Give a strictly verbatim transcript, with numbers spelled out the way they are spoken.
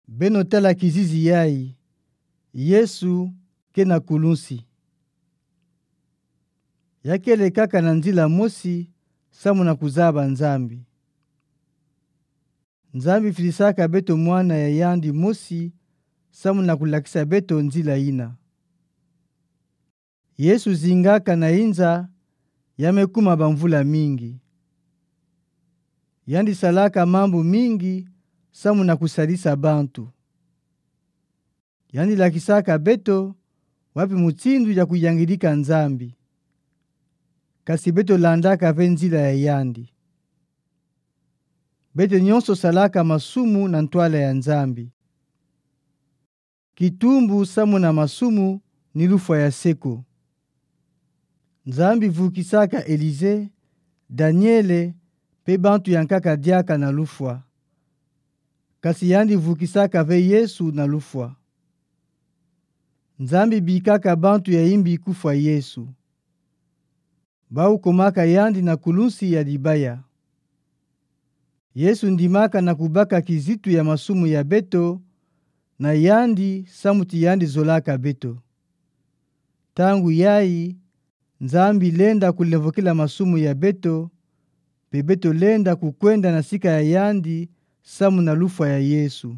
Beno tala kizizi yayi. Yesu ke na kulunsi. Ya kele kaka na nzila mosi samu na kuzaba Nzambi. Nzambi filisaka beto Mwana ya yandi mosi samu na kulakisa beto nzila yina. Yesu zingaka na inza, ya me kuma bamvula mingi. Yandi salaka mambu mingi samu na kusalisa bantu. Yandi lakisaka beto wapi mutindu ya kuyangidika Nzambi. Kasi beto landaka ve nzila ya yandi. Beto nyonso salaka masumu na ntwala ya Nzambi. Kitumbu samu na masumu ni lufwa ya seko. Nzambi vukisaka Elize, Daniele, pe bantu ya nkaka diaka na lufwa. Kasi yandi vukisaka ve Yesu na lufwa. Nzambi bikaka bantu ya imbi kufwa Yesu. Bawu komaka yandi na kulunsi ya dibaya. Yesu ndimaka na kubaka kizitu ya masumu ya beto na yandi samu ti yandi zolaka beto. Ntangu yayi, Nzambi lenda kulemvokela masumu ya beto, pe beto lenda kukwenda na sika ya yandi samu na lufwa ya Yesu.